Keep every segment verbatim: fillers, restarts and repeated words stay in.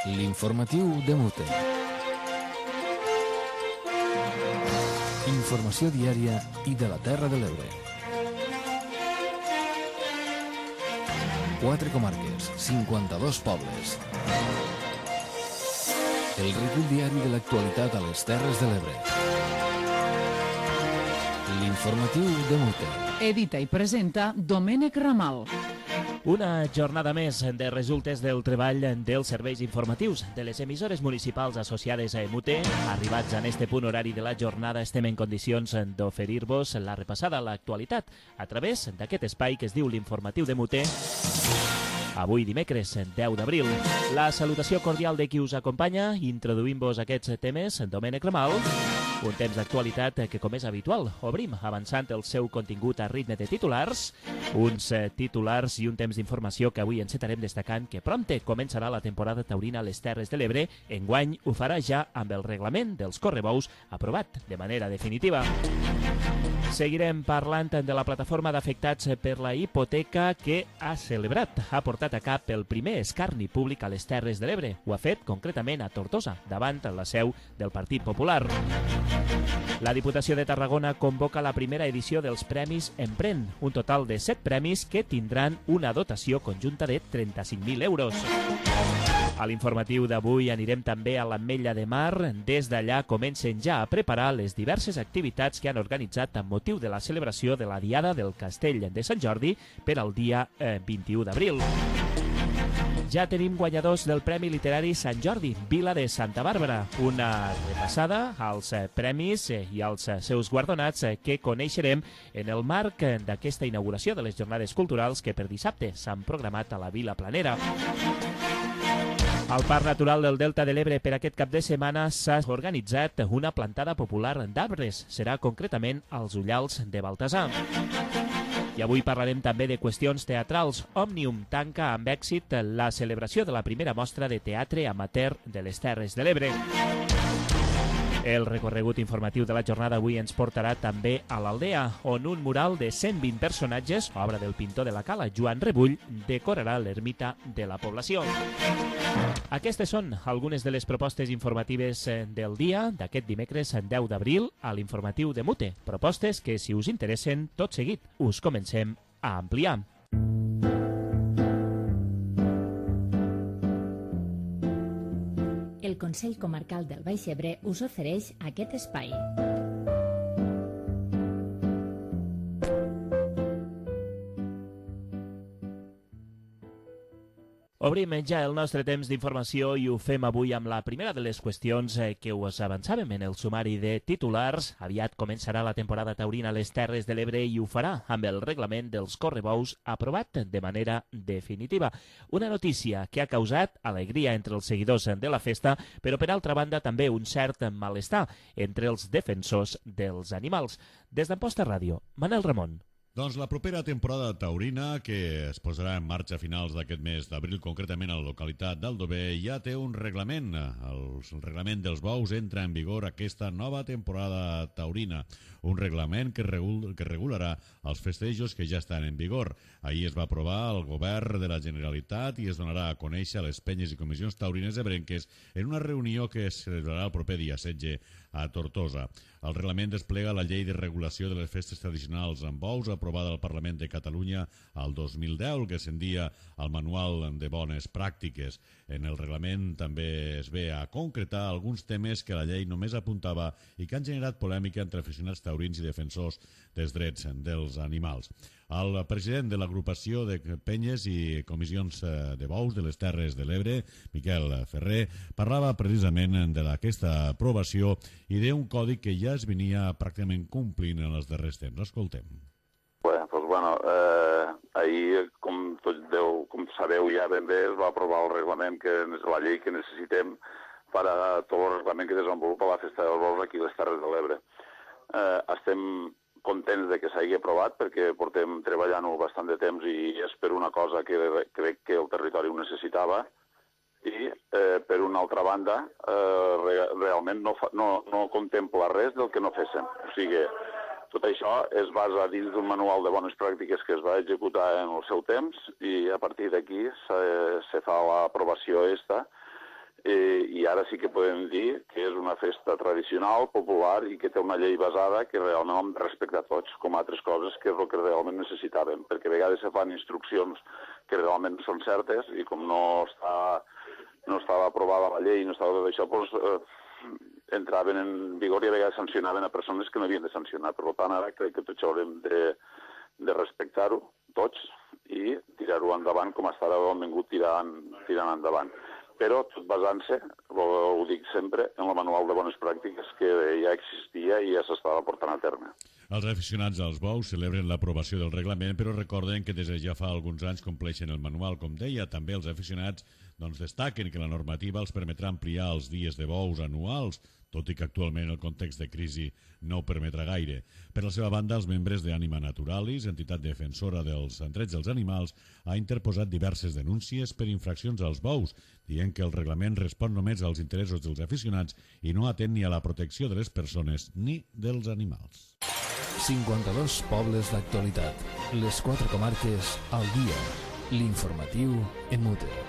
L'informatiu de Mute. Informació diària i de la Terra de l'Ebre. Quatre comarques, cinquanta-dos pobles. El recull diari de l'actualitat a les Terres de l'Ebre. L'informatiu de Mute. Edita i presenta Domènec Ramal. Una jornada més de resultes del treball dels serveis informatius de les emissores municipals associades a Mute. Arribats en este punt horari de la jornada, estem en condicions d'oferir-vos la repassada a l'actualitat a través d'aquest espai que es diu l'Informatiu de Mute. Avui dimecres, deu d'abril. La salutació cordial de qui us acompanya, introduint-vos aquests temes, Domènec Ramal. Un temps d'actualitat que, com és habitual, obrim avançant el seu contingut a ritme de titulars. Uns titulars i un temps d'informació que avui encetarem destacant que prompte començarà la temporada taurina a les Terres de l'Ebre. Enguany ho farà ja amb el reglament dels correbous aprovat de manera definitiva. Seguirem parlant de la plataforma d'afectats per la hipoteca que ha celebrat, ha portat a cap el primer escarni públic a les Terres de l'Ebre. Ho ha fet concretament a Tortosa, davant la seu del Partit Popular. La Diputació de Tarragona convoca la primera edició dels Premis Empren, un total de set premis que tindran una dotació conjunta de trenta-cinc mil euros. A l'informatiu d'avui anirem també a l'Ametlla de Mar. Des d'allà comencen ja a preparar les diverses activitats que han organitzat amb motiu de la celebració de la Diada del Castell de Sant Jordi per al dia eh, vint-i-u d'abril. Ja tenim guanyadors del Premi Literari Sant Jordi, Vila de Santa Bàrbara. Una repassada als premis i als seus guardonats que coneixerem en el marc d'aquesta inauguració de les jornades culturals que per dissabte s'han programat a la Vila Planera. Al Parc Natural del Delta de l'Ebre per aquest cap de setmana s'ha organitzat una plantada popular d'arbres. Serà concretament als Ullals de Baltasar. I avui parlarem també de qüestions teatrals. Òmnium tanca amb èxit la celebració de la primera mostra de teatre amateur de les Terres de l'Ebre. El recorregut informatiu de la jornada avui ens portarà també a l'Aldea, on un mural de cent vint personatges, obra del pintor de la Cala, Joan Rebull, decorarà l'ermita de la població. Aquestes són algunes de les propostes informatives del dia d'aquest dimecres deu d'abril a l'informatiu de Mute. Propostes que, si us interessen, tot seguit us comencem a ampliar. El Consell Comarcal del Baix Ebre us ofereix aquest espai. Obrim ja el nostre temps d'informació i ho fem avui amb la primera de les qüestions que us avançàvem en el sumari de titulars. Aviat començarà la temporada taurina a les Terres de l'Ebre i ho farà amb el reglament dels correbous aprovat de manera definitiva. Una notícia que ha causat alegria entre els seguidors de la festa, però per altra banda també un cert malestar entre els defensors dels animals. Des d'Amposta Ràdio, Manel Ramon. Doncs la propera temporada taurina, que es posarà en marxa a finals d'aquest mes d'abril, concretament a la localitat d'Aldover, ja té un reglament. El reglament dels bous entra en vigor aquesta nova temporada taurina. Un reglament que, regul que regularà els festejos que ja estan en vigor. Ahir es va aprovar el govern de la Generalitat i es donarà a conèixer a les penyes i comissions taurines ebrenques en una reunió que es celebrarà el proper dia setze a Tortosa. El reglament desplega la llei de regulació de les festes tradicionals amb bous aprovada al Parlament de Catalunya al dos mil deu, que ascendia al Manual de Bones Pràctiques. En el reglament també es ve a concretar alguns temes que la llei només apuntava i que han generat polèmica entre aficionats taurins i defensors dels drets dels animals. El president de l'agrupació de penyes i comissions de bous de les Terres de l'Ebre, Miquel Ferrer, parlava precisament d'aquesta aprovació i d'un codi que ja es venia pràcticament complint en els darrers temps. Escoltem. Bé, doncs, bueno, eh, ahir, com tots deu, com sabeu ja ben bé, es va aprovar el reglament, que és la llei que necessitem per a tot el reglament que desenvolupa la Festa dels Bous aquí a les Terres de l'Ebre. Eh, estem contents de que s'hagi aprovat perquè portem treballant-ho bastant de temps i és per una cosa que crec que el territori ho necessitava i, eh, per una altra banda, eh, re realment no, fa, no, no contempla res del que no féssim. O sigui, tot això es basa dins d'un manual de bones pràctiques que es va executar en el seu temps i a partir d'aquí se, se fa l'aprovació esta eh, i ara sí que podem dir que és una festa tradicional, popular, i que té una llei basada que realment respecta a tots, com altres coses que és el que realment necessitàvem, perquè a vegades se fan instruccions que realment són certes i com no, està, no estava aprovada la llei, no estava tot això, doncs, eh, entraven en vigor i a vegades sancionaven a persones que no havien de sancionar. Per tant, ara crec que tot això haurem de, de respectar-ho tots i tirar-ho endavant com hasta ara ho hem vingut tirant, tirant endavant. Però tot basant-se, ho, ho dic sempre, en el manual de bones pràctiques que ja existia i ja s'estava portant a terme. Els aficionats als bous celebren l'aprovació del reglament, però recorden que des de ja fa alguns anys compleixen el manual. Com deia, també els aficionats doncs, destaquen que la normativa els permetrà ampliar els dies de bous anuals, tot i que actualment el context de crisi no ho permetrà gaire. Per la seva banda, els membres d'Ànima Naturalis, entitat defensora dels drets dels animals, ha interposat diverses denúncies per infraccions als bous, dient que el reglament respon només als interessos dels aficionats i no atén ni a la protecció de les persones ni dels animals. cinquanta-dos pobles d'actualitat. Les quatre comarques al dia. L'informatiu en Mute.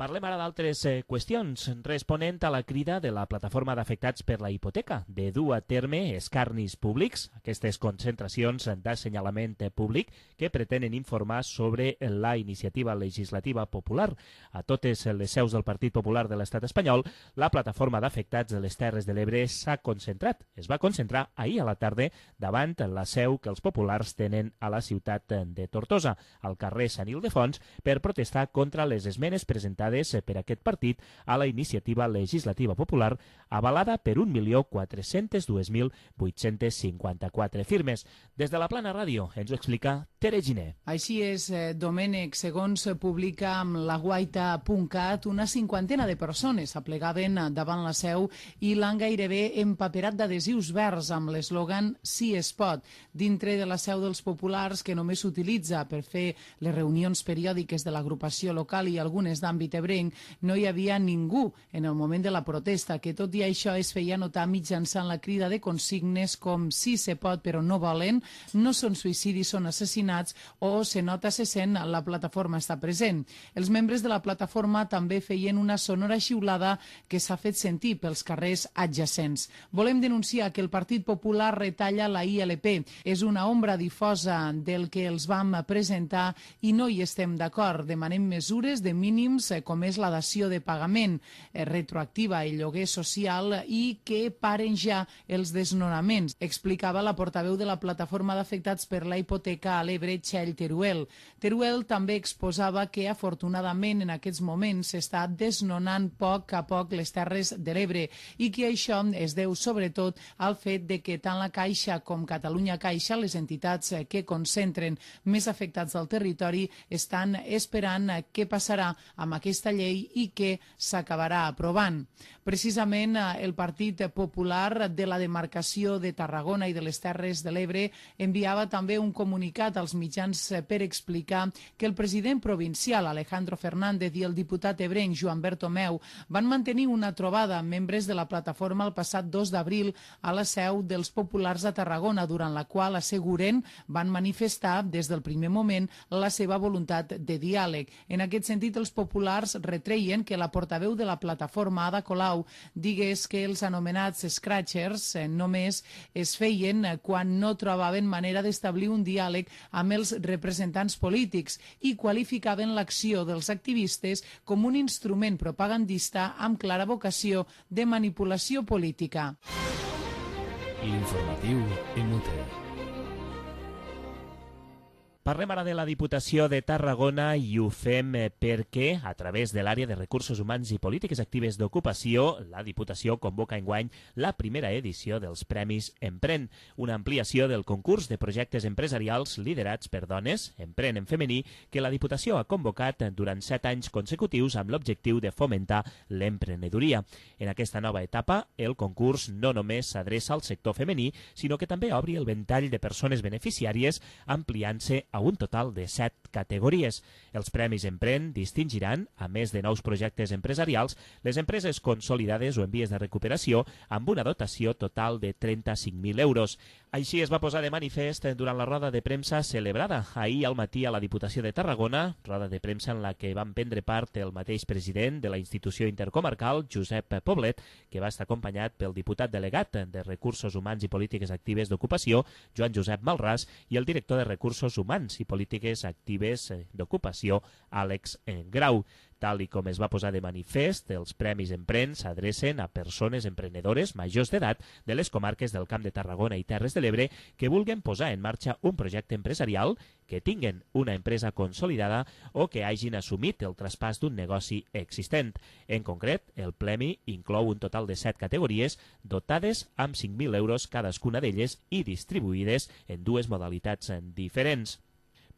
Parlem ara d'altres eh, qüestions, responent a la crida de la plataforma d'afectats per la hipoteca de dur a terme escarnis públics, aquestes concentracions d'assenyalament públic que pretenen informar sobre la iniciativa legislativa popular. A totes les seus del Partit Popular de l'Estat espanyol, la plataforma d'afectats de les Terres de l'Ebre s'ha concentrat. Es va concentrar ahir a la tarda davant la seu que els populars tenen a la ciutat de Tortosa, al carrer Sant Ildefons, per protestar contra les esmenes presentades per aquest partit a la iniciativa legislativa popular avalada per un milió quatre-cents dos mil vuit-cents cinquanta-quatre firmes. Des de la Plana Ràdio ens ho explica Tere Giner. Així és, eh, Domènec, segons publica amb la guaita punt cat, una cinquantena de persones aplegaven davant la seu i l'han gairebé empaperat d'adhesius verds amb l'eslògan «Sí es pot», dintre de la seu dels populars que només s'utilitza per fer les reunions periòdiques de l'agrupació local i algunes d'àmbit ebrenc, no hi havia ningú en el moment de la protesta, que tot i això es feia notar mitjançant la crida de consignes com «Sí se pot però no volen», «No són suïcidis, són assassinats» o «Se nota, se sent, la plataforma està present». Els membres de la plataforma també feien una sonora xiulada que s'ha fet sentir pels carrers adjacents. Volem denunciar que el Partit Popular retalla la I L P. És una ombra difosa del que els vam presentar i no hi estem d'acord. Demanem mesures de mínims com és la dació de pagament eh, retroactiva i lloguer social i que paren ja els desnonaments, explicava la portaveu de la plataforma d'afectats per la hipoteca a l'Ebre, Txell Teruel. Teruel també exposava que afortunadament en aquests moments s'està desnonant poc a poc les Terres de l'Ebre i que això es deu sobretot al fet de que tant la Caixa com Catalunya Caixa, les entitats que concentren més afectats del territori, estan esperant què passarà amb aquesta llei i que s'acabarà aprovant. Precisament el Partit Popular de la demarcació de Tarragona i de les Terres de l'Ebre enviava també un comunicat als mitjans per explicar que el president provincial Alejandro Fernández i el diputat ebrenc Joan Bertomeu van mantenir una trobada amb membres de la plataforma el passat dos d'abril a la seu dels populars a Tarragona, durant la qual asseguren van manifestar des del primer moment la seva voluntat de diàleg. En aquest sentit, els populars retreien que la portaveu de la plataforma, Ada Colau, digués que els anomenats scratchers eh, només es feien quan no trobaven manera d'establir un diàleg amb els representants polítics i qualificaven l'acció dels activistes com un instrument propagandista amb clara vocació de manipulació política. L'informatiu en Mute. Parlem ara de la Diputació de Tarragona i ho fem perquè, a través de l'àrea de Recursos Humans i Polítiques Actives d'Ocupació, la Diputació convoca enguany la primera edició dels Premis Empren, una ampliació del concurs de projectes empresarials liderats per dones, Empren en femení, que la Diputació ha convocat durant set anys consecutius amb l'objectiu de fomentar l'emprenedoria. En aquesta nova etapa, el concurs no només s'adreça al sector femení, sinó que també obri el ventall de persones beneficiàries, ampliant-se a a un total de set categories. Els Premis Empren distingiran, a més de nous projectes empresarials, les empreses consolidades o en vies de recuperació amb una dotació total de trenta-cinc mil euros. Així es va posar de manifest durant la roda de premsa celebrada ahir al matí a la Diputació de Tarragona, roda de premsa en la que van prendre part el mateix president de la institució intercomarcal, Josep Poblet, que va estar acompanyat pel diputat delegat de Recursos Humans i Polítiques Actives d'Ocupació, Joan Josep Malràs, i el director de Recursos Humans i Polítiques Actives d'Ocupació, Àlex Grau. Tal i com es va posar de manifest, els Premis Empren s'adrecen a persones emprenedores majors d'edat de les comarques del Camp de Tarragona i Terres de l'Ebre que vulguen posar en marxa un projecte empresarial, que tinguen una empresa consolidada o que hagin assumit el traspàs d'un negoci existent. En concret, el premi inclou un total de set categories dotades amb cinc mil euros cadascuna d'elles i distribuïdes en dues modalitats diferents.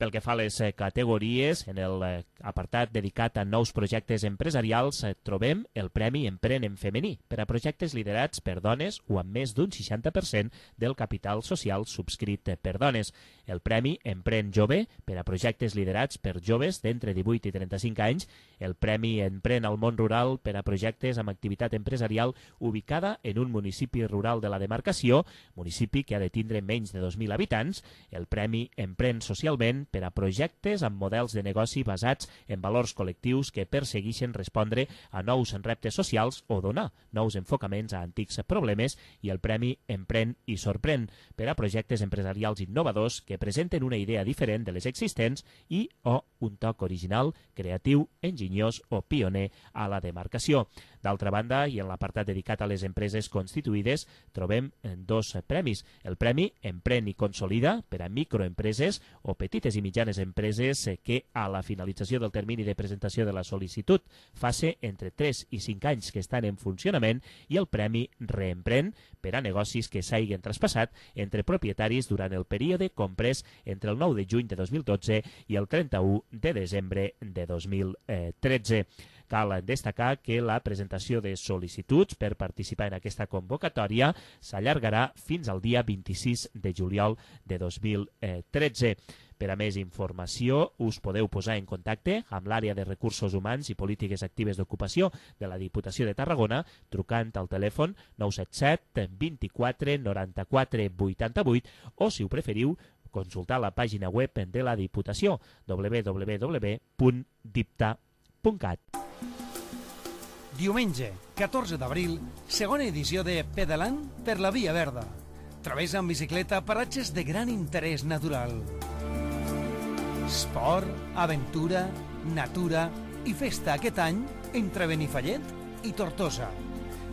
Pel que fa a les categories, en l'apartat dedicat a nous projectes empresarials trobem el Premi Empren en femení per a projectes liderats per dones o amb més d'un seixanta per cent del capital social subscrit per dones. El Premi Empren Jove per a projectes liderats per joves d'entre divuit i trenta-cinc anys. El Premi Empren al món rural per a projectes amb activitat empresarial ubicada en un municipi rural de la demarcació, municipi que ha de tindre menys de dos mil habitants. El Premi Empren Socialment per a projectes amb models de negoci basats en valors col·lectius que persegueixen respondre a nous reptes socials o donar nous enfocaments a antics problemes, i el Premi Empren i Sorprèn per a projectes empresarials innovadors que presenten una idea diferent de les existents i o un toc original, creatiu, enginyós o pioner a la demarcació. D'altra banda, i en l'apartat dedicat a les empreses constituïdes, trobem dos premis. El Premi Empren i Consolida per a microempreses o petites i mitjanes empreses que a la finalització del termini de presentació de la sol·licitud faci entre tres i cinc anys que estan en funcionament, i el Premi Reempren per a negocis que s'hagin traspassat entre propietaris durant el període comprès entre el nou de juny de dos mil dotze i el trenta-u de desembre de dos mil tretze. Cal destacar que la presentació de sol·licituds per participar en aquesta convocatòria s'allargarà fins al dia vint-i-sis de juliol de dos mil tretze. Per a més informació, us podeu posar en contacte amb l'àrea de Recursos Humans i Polítiques Actives d'Ocupació de la Diputació de Tarragona trucant al telèfon nou set set vint-i-quatre noranta-quatre vuitanta-vuit o, si ho preferiu, consultar la pàgina web de la Diputació w w w punt dipta punt cat. Diumenge, catorze d'abril, segona edició de Pedalant per la Via Verda. Travessa amb bicicleta paratges de gran interès natural. Esport, aventura, natura i festa aquest any entre Benifallet i Tortosa.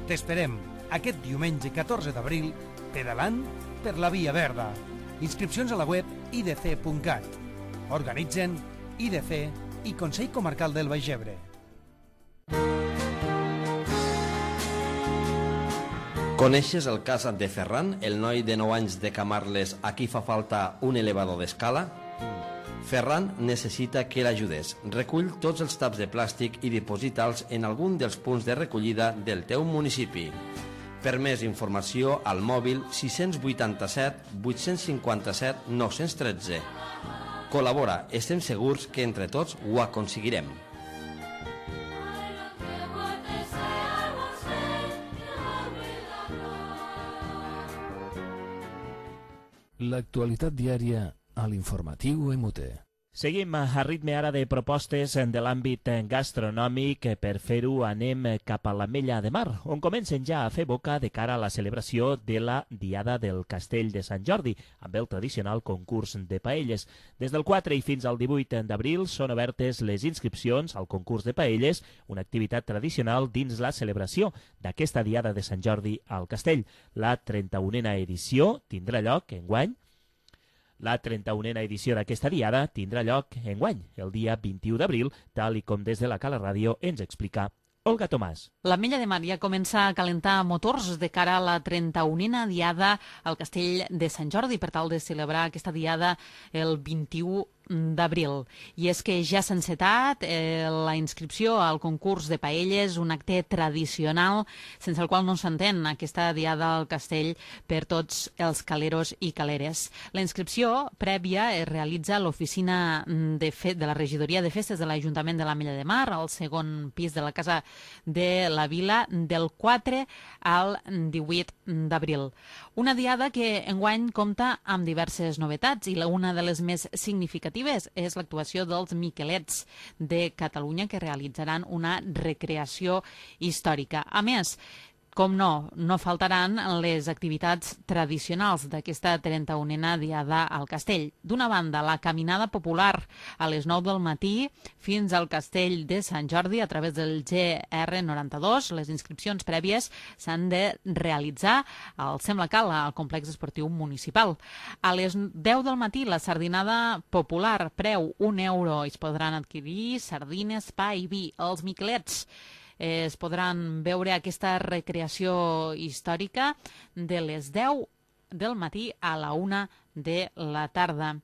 T'esperem aquest diumenge catorze d'abril, pedalant per la Via Verda. Inscripcions a la web i d c punt cat. Organitzen I D C i Consell Comarcal del Baix Ebre. Coneixes el cas de Ferran, el noi de nou anys de Camarles a qui fa falta un elevador d'escala? Ferran necessita que l'ajudes. Recull tots els taps de plàstic i diposita'ls en algun dels punts de recollida del teu municipi. Per més informació, al mòbil sis vuitanta-set vuit cinquanta-set nou tretze. Col·labora, estem segurs que entre tots ho aconseguirem. L'actualitat diària a l'informatiu M T. Seguim a ritme ara de propostes de l'àmbit gastronòmic. Per fer-ho anem cap a l'Ametlla de Mar, on comencen ja a fer boca de cara a la celebració de la Diada del Castell de Sant Jordi, amb el tradicional concurs de paelles. Des del quatre i fins al divuit d'abril són obertes les inscripcions al concurs de paelles, una activitat tradicional dins la celebració d'aquesta Diada de Sant Jordi al Castell. La trenta-unena edició tindrà lloc enguany La trenta-unena edició d'aquesta diada tindrà lloc enguany, el dia vint-i-u d'abril, tal i com des de la Cala Ràdio ens explica Olga Tomàs. L'Ametlla de Mar ja comença a calentar motors de cara a la trenta-unena diada al Castell de Sant Jordi per tal de celebrar aquesta diada el vint-i-u d'abril. I és que ja s'ha encetat eh, la inscripció al concurs de paelles, un acte tradicional sense el qual no s'entén aquesta diada al castell per tots els caleros i caleres. La inscripció prèvia es realitza a l'oficina de, de la regidoria de festes de l'Ajuntament de l'Ametlla de Mar, al segon pis de la Casa de la Vila, del quatre al divuit d'abril. Una diada que enguany compta amb diverses novetats i una de les més significatives és l'actuació dels Miquelets de Catalunya, que realitzaran una recreació històrica. A més, com no, no faltaran les activitats tradicionals d'aquesta trenta-unena diada al castell. D'una banda, la caminada popular a les nou del matí fins al castell de Sant Jordi a través del G R noranta-dos. Les inscripcions prèvies s'han de realitzar al Sembla Cal, al complex esportiu municipal. A les deu del matí, la sardinada popular, preu un euro. Es podran adquirir sardines, pa i vi. Els Miquelets es podran veure aquesta recreació històrica de les deu del matí a la una de la tarda.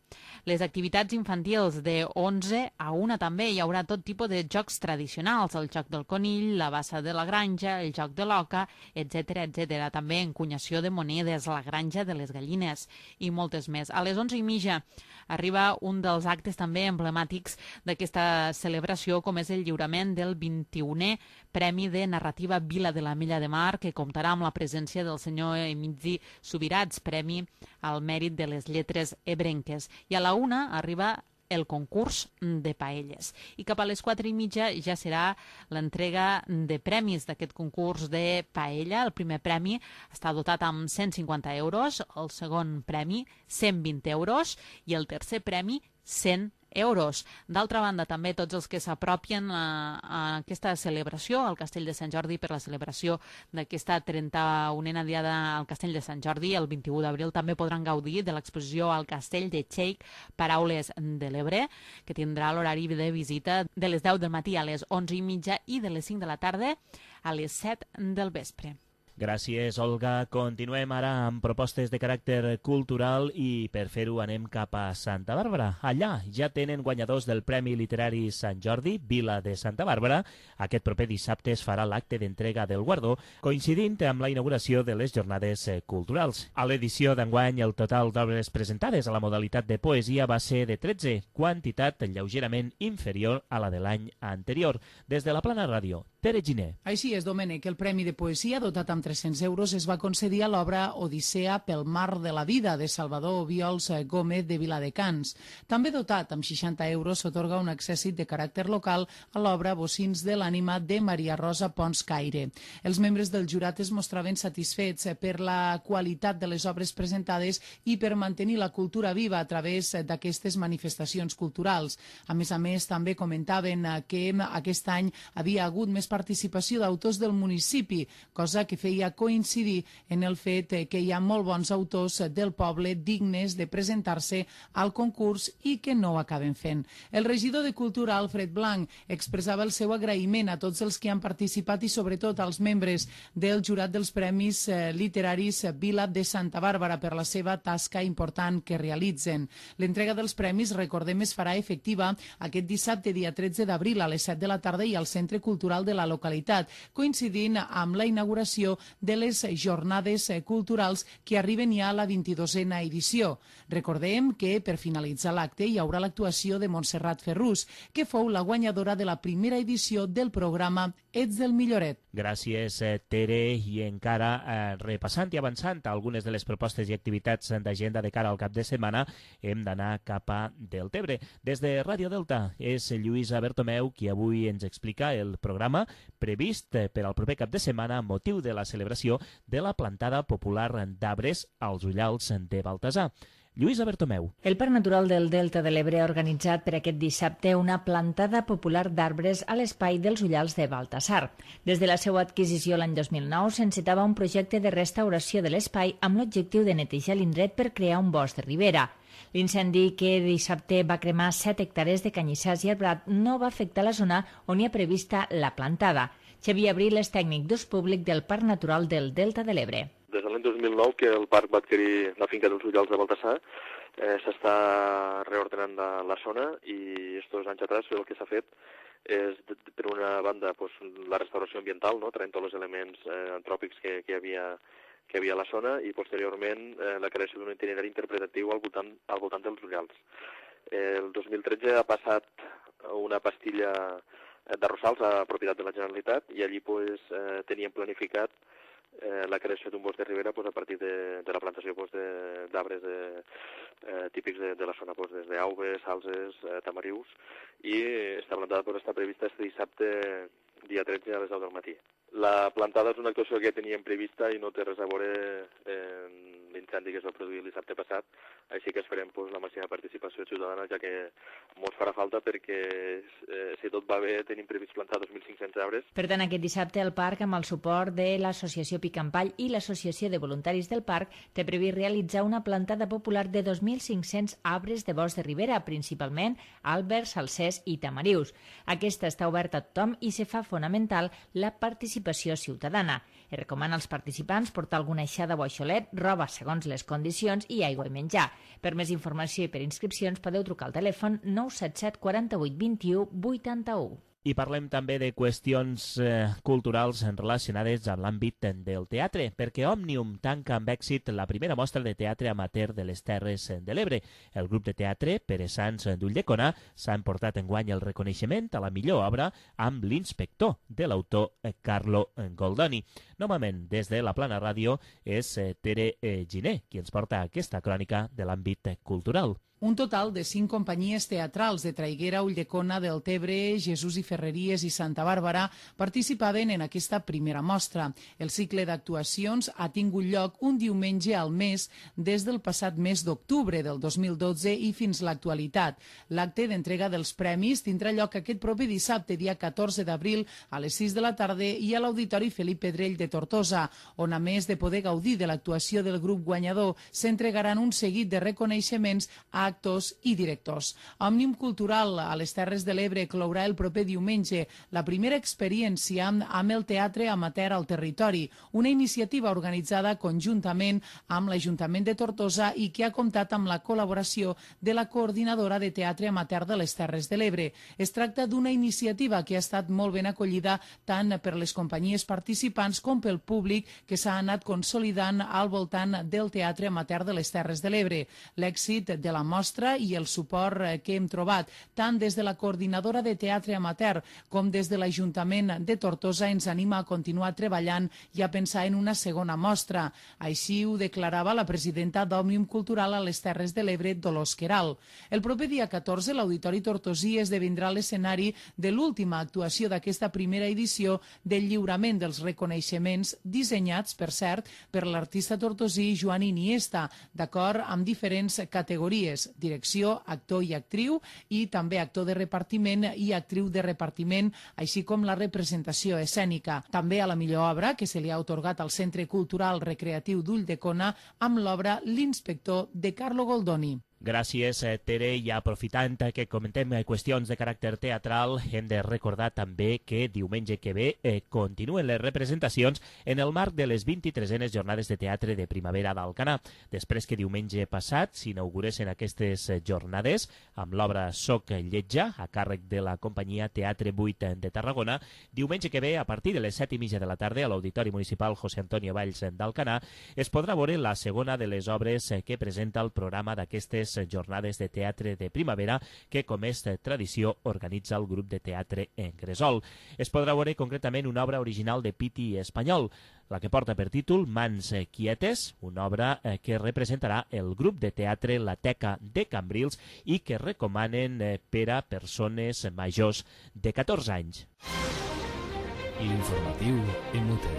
Les activitats infantils de onze a una també hi haurà tot tipus de jocs tradicionals, el joc del conill, la bassa de la granja, el joc de l'oca, etcètera, etcètera. També encunyació de monedes, la granja de les gallines i moltes més. A les onze i mitja arriba un dels actes també emblemàtics d'aquesta celebració, com és el lliurament del vint-i-unè Premi de Narrativa Vila de l'Ametlla de Mar, que comptarà amb la presència del senyor Emili Subirats, Premi al Mèrit de les Lletres Ebrenques. I a la una arriba el concurs de paelles. I cap a les quatre i mitja ja serà l'entrega de premis d'aquest concurs de paella. El primer premi està dotat amb cent cinquanta euros, el segon premi cent vint euros i el tercer premi cent euros. D'altra banda, també tots els que s'apropien a, a aquesta celebració al Castell de Sant Jordi per la celebració d'aquesta trenta-unena diada al Castell de Sant Jordi, el vint-i-u d'abril, també podran gaudir de l'exposició al Castell de Cheik, Paraules de l'Ebre, que tindrà l'horari de visita de les deu del matí a les onze i mitja i de les cinc de la tarda a les set del vespre. Gràcies, Olga. Continuem ara amb propostes de caràcter cultural i per fer-ho anem cap a Santa Bàrbara. Allà ja tenen guanyadors del Premi Literari Sant Jordi, Vila de Santa Bàrbara. Aquest proper dissabte es farà l'acte d'entrega del guardó, coincidint amb la inauguració de les jornades culturals. A l'edició d'enguany, el total d'obres presentades a la modalitat de poesia va ser de tretze, quantitat lleugerament inferior a la de l'any anterior. Des de la Plana Ràdio, Tere Giner. Així és, Domènec, el Premi de Poesia, dotat amb tres-cents euros, es va concedir a l'obra Odissea pel mar de la vida, de Salvador Obiols Gómez de Viladecans. També dotat amb seixanta euros s'atorga un accèssit de caràcter local a l'obra Bocins de l'ànima de Maria Rosa Pons Caire. Els membres del jurat es mostraven satisfets per la qualitat de les obres presentades i per mantenir la cultura viva a través d'aquestes manifestacions culturals. A més a més, també comentaven que aquest any havia hagut més participació d'autors del municipi, cosa que feia coincidir en el fet que hi ha molt bons autors del poble dignes de presentar-se al concurs i que no ho acaben fent. El regidor de Cultura, Alfred Blanc, expressava el seu agraïment a tots els que han participat i sobretot als membres del jurat dels Premis Literaris Vila de Santa Bàrbara per la seva tasca important que realitzen. L'entrega dels premis, recordem, es farà efectiva aquest dissabte, dia tretze d'abril, a les set de la tarda i al Centre Cultural de la localitat, coincidint amb la inauguració de les jornades culturals que arriben ja a la vint-i-dosena edició. Recordem que per finalitzar l'acte hi haurà l'actuació de Montserrat Ferrús, que fou la guanyadora de la primera edició del programa Ets del Milloret. Gràcies, Tere. I encara eh, repassant i avançant algunes de les propostes i activitats d'agenda de cara al cap de setmana, hem d'anar cap a Deltebre. Des de Ràdio Delta és Lluïsa Bertomeu qui avui ens explica el programa previst per al proper cap de setmana amb motiu de la celebració de la plantada popular d'arbres als Ullals de Baltasar. Lluïsa Bertomeu. El Parc Natural del Delta de l'Ebre ha organitzat per aquest dissabte una plantada popular d'arbres a l'espai dels Ullals de Baltasar. Des de la seva adquisició l'any dos mil nou s'encetava un projecte de restauració de l'espai amb l'objectiu de netejar l'indret per crear un bosc de ribera. L'incendi que dissabte va cremar set hectàrees de canyissars i arbrat no va afectar la zona on hi ha prevista la plantada. Xavier Abril és tècnic d'ús públic del Parc Natural del Delta de l'Ebre. Des de l'any dos mil nou que el parc va adquirir la finca dels Ullals de Baltasar, eh, s'està reordenant la, la zona i estos anys atrás el que s'ha fet és, per una banda, pues, la restauració ambiental, no? traient tots els elements eh, antròpics que, que, hi havia, que hi havia a la zona i, posteriorment, eh, la creació d'un itinerari interpretatiu al voltant, al voltant dels ullals. Eh, el dos mil tretze ha passat una pastilla d'arrossals a propietat de la Generalitat i allí pues, eh, teníem planificat eh, la creació d'un bosc de ribera pues, a partir de, de la plantació pues, d'arbres eh, típics de, de la zona, pues, des d'auves, salses, eh, tamarius, i està plantada, pues, està prevista este dissabte, dia tretze, a les deu del matí. La plantada és una actuació que teníem prevista i no té res a veure amb l'incendi que es va produir el dissabte passat, així que esperem pues, la màxima participació ciutadana, ja que molts farà falta perquè, eh, si tot va bé, tenim previst plantar dos mil cinc-cents arbres. Per tant, aquest dissabte el parc, amb el suport de l'Associació Picampall i l'Associació de Voluntaris del Parc, té previst realitzar una plantada popular de dos mil cinc-cents arbres de bosc de ribera, principalment àlbers, salsers i tamarius. Aquesta està oberta a tothom i se fa fonamental la participació ciutadana. Es recomana als participants portar alguna aixada o aixolet, roba segons les condicions i aigua i menjar. Per més informació i per inscripcions podeu trucar al telèfon nou set set quaranta-vuit vint-i-u vuitanta-u. I parlem també de qüestions eh, culturals relacionades amb l'àmbit del teatre, perquè Òmnium tanca amb èxit la primera mostra de teatre amateur de les Terres de l'Ebre. El grup de teatre Pere Sans d'Ulldecona s'ha emportat enguany el reconeixement a la millor obra amb l'Inspector, de l'autor Carlo Goldoni. Novament, des de la Plana Ràdio, és Tere Giner qui ens porta aquesta crònica de l'àmbit cultural. Un total de cinc companyies teatrals de Traiguera, Ulldecona, Deltebre, Jesús i Ferreries i Santa Bàrbara participaven en aquesta primera mostra. El cicle d'actuacions ha tingut lloc un diumenge al mes des del passat mes d'octubre del dos mil dotze i fins l'actualitat. L'acte d'entrega dels premis tindrà lloc aquest proper dissabte, dia catorze d'abril, a les sis de la tarda i a l'Auditori Felip Pedrell de Tortosa, on, a més de poder gaudir de l'actuació del grup guanyador, s'entregaran un seguit de reconeixements a actors i directors. Òmnium Cultural a les Terres de l'Ebre clourà el proper diumenge la primera experiència amb el teatre amateur al territori, una iniciativa organitzada conjuntament amb l'Ajuntament de Tortosa i que ha comptat amb la col·laboració de la Coordinadora de Teatre Amateur de les Terres de l'Ebre. Es tracta d'una iniciativa que ha estat molt ben acollida tant per les companyies participants com pel públic que s'ha anat consolidant al voltant del teatre amateur de les Terres de l'Ebre. L'èxit de la mostra i el suport que hem trobat tant des de la Coordinadora de Teatre Amateur com des de l'Ajuntament de Tortosa ens anima a continuar treballant i a pensar en una segona mostra. Així ho declarava la presidenta d'Òmnium Cultural a les Terres de l'Ebre, Dolors Queralt. El proper dia catorze, l'Auditori Tortosí esdevindrà l'escenari de l'última actuació d'aquesta primera edició del lliurament dels reconeixements dissenyats, per cert, per l'artista tortosí Joan Iniesta, d'acord amb diferents categories: direcció, actor i actriu, i també actor de repartiment i actriu de repartiment, així com la representació escènica. També a la millor obra, que se li ha atorgat al Centre Cultural Recreatiu d'Ulldecona amb l'obra L'Inspector, de Carlo Goldoni. Gràcies, Tere. I aprofitant que comentem qüestions de caràcter teatral, hem de recordar també que diumenge que ve eh, continuen les representacions en el marc de les vint-i-tresenes Jornades de Teatre de Primavera d'Alcanar. Després que diumenge passat s'inauguressin aquestes jornades amb l'obra Soc Lletja, a càrrec de la companyia Teatre vuit de Tarragona, diumenge que ve, a partir de les set i mitja de la tarda, a l'Auditori Municipal José Antonio Valls d'Alcanar, es podrà veure la segona de les obres que presenta el programa d'aquestes Jornades de Teatre de Primavera que, com és tradició, organitza el grup de teatre en Gresol. Es podrà veure concretament una obra original de Piti Espanyol, la que porta per títol Mans Quietes, una obra que representarà el grup de teatre La Teca de Cambrils i que recomanen per a persones majors de catorze anys. L'informatiu en Mute.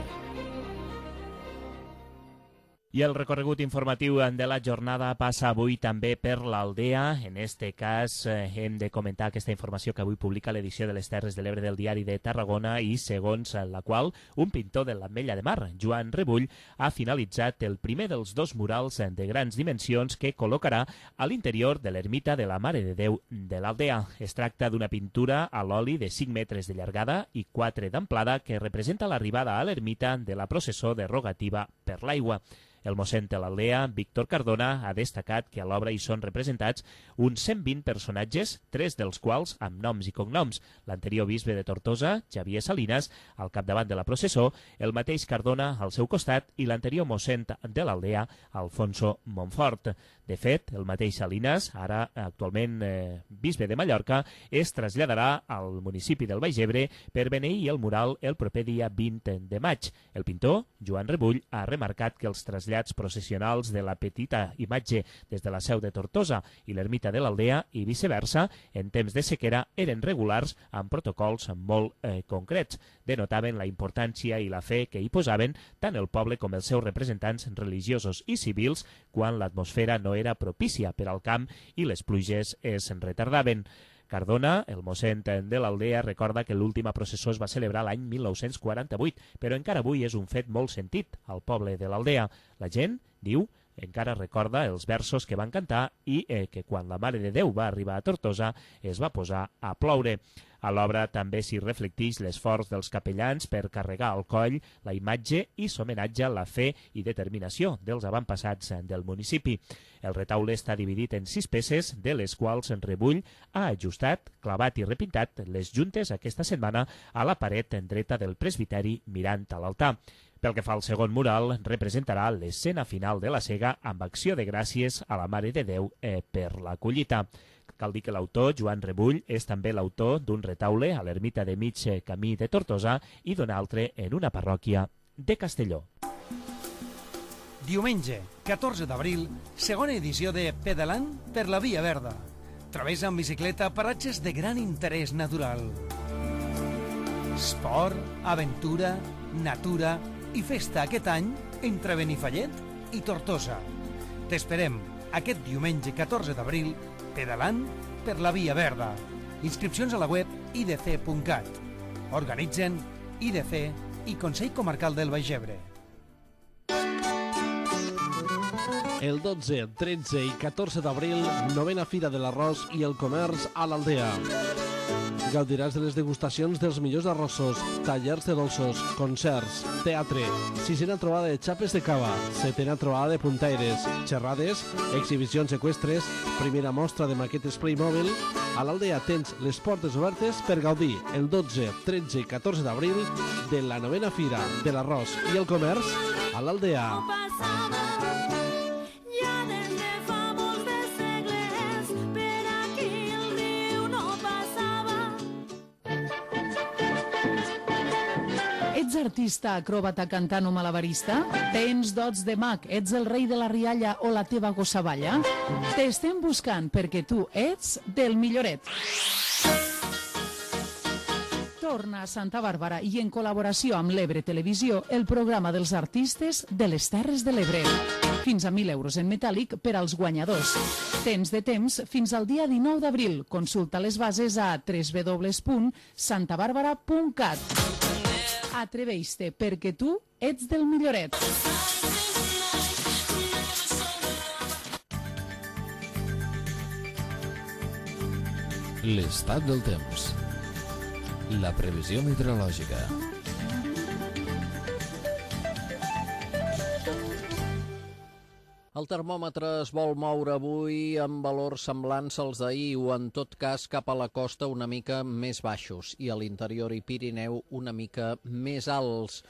I el recorregut informatiu de la jornada passa avui també per l'Aldea. En este cas eh, hem de comentar aquesta informació que avui publica l'edició de les Terres de l'Ebre del Diari de Tarragona i segons la qual un pintor de l'Ametlla de Mar, Joan Rebull, ha finalitzat el primer dels dos murals de grans dimensions que col·locarà a l'interior de l'ermita de la Mare de Déu de l'Aldea. Es tracta d'una pintura a l'oli de cinc metres de llargada i quatre d'amplada que representa l'arribada a l'ermita de la processó de rogativa per l'aigua. El mossèn de l'Aldea, Víctor Cardona, ha destacat que a l'obra hi són representats uns cent vint personatges, tres dels quals amb noms i cognoms. L'anterior bisbe de Tortosa, Xavier Salinas, al capdavant de la processó, el mateix Cardona al seu costat i l'anterior mossèn de l'Aldea, Alfonso Montfort. De fet, el mateix Salinas, ara actualment eh, bisbe de Mallorca, es traslladarà al municipi del Baix Ebre per beneir el mural el proper dia vint de maig. El pintor, Joan Rebull, ha remarcat que els trasllats processionals de la petita imatge des de la seu de Tortosa i l'ermita de l'Aldea i viceversa, en temps de sequera, eren regulars amb protocols molt eh, concrets. Denotaven la importància i la fe que hi posaven tant el poble com els seus representants religiosos i civils quan l'atmosfera no era propícia per al camp i les pluges es retardaven. Cardona, el mossèn de l'Aldea, recorda que l'última processó es va celebrar l'any mil nou-cents quaranta-vuit, però encara avui és un fet molt sentit al poble de l'Aldea. La gent, diu, encara recorda els versos que van cantar i eh, que quan la Mare de Déu va arribar a Tortosa es va posar a ploure. A l'obra també s'hi reflecteix l'esforç dels capellans per carregar al coll la imatge i s'homenatja a la fe i determinació dels avantpassats del municipi. El retaule està dividit en sis peces, de les quals en Rebull ha ajustat, clavat i repintat les juntes aquesta setmana a la paret dreta del presbiteri mirant a l'altar. Pel que fa al segon mural, representarà l'escena final de la sega amb acció de gràcies a la Mare de Déu eh, per la collita. Cal dir que l'autor, Joan Rebull, és també l'autor d'un retaule a l'ermita de mig camí de Tortosa i d'un altre en una parròquia de Castelló. Diumenge, catorze d'abril, segona edició de Pedalant per la Via Verda. Travessa amb bicicleta paratges de gran interès natural. Esport, aventura, natura i festa aquest any entre Benifallet i Tortosa. T'esperem aquest diumenge catorze d'abril pedalant per la Via Verda. Inscripcions a la web i d c punt cat. Organitzen I D C i Consell Comarcal del Baix Ebre. El dotze, tretze i catorze d'abril, novena Fira de l'Arròs i el Comerç a l'Aldea. Gaudiràs de les degustacions dels millors arrossos, tallers de dolços, concerts, teatre, sisena trobada de xapes de cava, setena trobada de puntaires, xerrades, exhibicions eqüestres, primera mostra de maquetes Playmobil. A l'Aldea tens les portes obertes per gaudir el dotze, tretze i catorze d'abril de la novena Fira de l'Arròs i el Comerç a l'Aldea. Ets artista, acròbata, cantant o malabarista? Tens dots de mag, ets el rei de la rialla o la teva gossavalla? T'estem buscant perquè tu ets del milloret. Torna a Santa Bàrbara i en col·laboració amb l'Ebre Televisió el programa dels artistes de les Terres de l'Ebre. Fins a mil euros en metàl·lic per als guanyadors. Tens de temps fins al dia dinou d'abril. Consulta les bases a w w w punt santa bàrbara punt cat. Atreveix-te, perquè tu ets del milloret. L'estat del temps. La previsió meteorològica. El termòmetre es vol moure avui amb valors semblants als d'ahir o, en tot cas, cap a la costa una mica més baixos i a l'interior i Pirineu una mica més alts.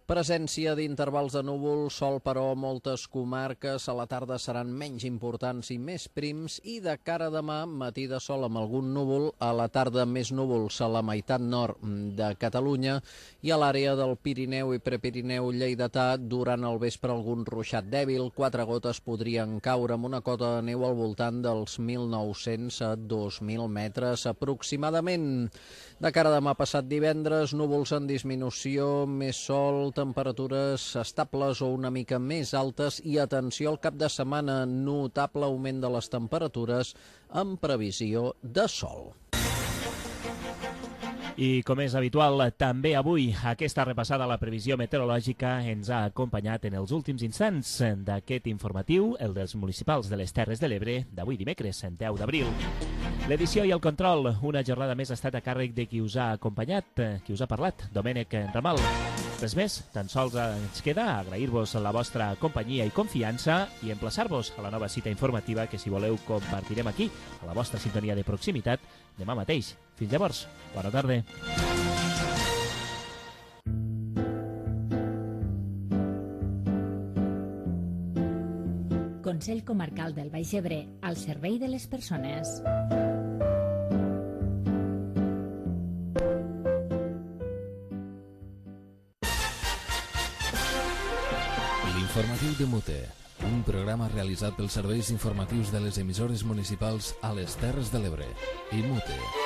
Presència d'intervals de núvol, sol però moltes comarques a la tarda seran menys importants i més prims i de cara a demà matí de sol amb algun núvol, a la tarda més núvols a la meitat nord de Catalunya i a l'àrea del Pirineu i Prepirineu lleidatà durant el vespre algun ruixat dèbil, quatre gotes podrien caure amb una cota de neu al voltant dels mil nou-cents a dos mil metres aproximadament. De cara a demà passat divendres, núvols en disminució, més sol, temperatures estables o una mica més altes i atenció al cap de setmana, notable augment de les temperatures amb previsió de sol. I com és habitual, també avui aquesta repassada a la previsió meteorològica ens ha acompanyat en els últims instants d'aquest informatiu, el dels municipals de les Terres de l'Ebre, d'avui dimecres, deu d'abril. L'edició i el control, una jornada més, ha estat a càrrec de qui us ha acompanyat, qui us ha parlat, Domènec Ramal. Res més, tan sols ens queda agrair-vos la vostra companyia i confiança i emplaçar-vos a la nova cita informativa que, si voleu, compartirem aquí, a la vostra sintonia de proximitat, demà mateix. Fins llavors, bona tarda. Consell Comarcal del Baix Ebre, al servei de les persones. L'informatiu de Mute, un programa realitzat pels serveis informatius de les emissores municipals a les Terres de l'Ebre i Mute.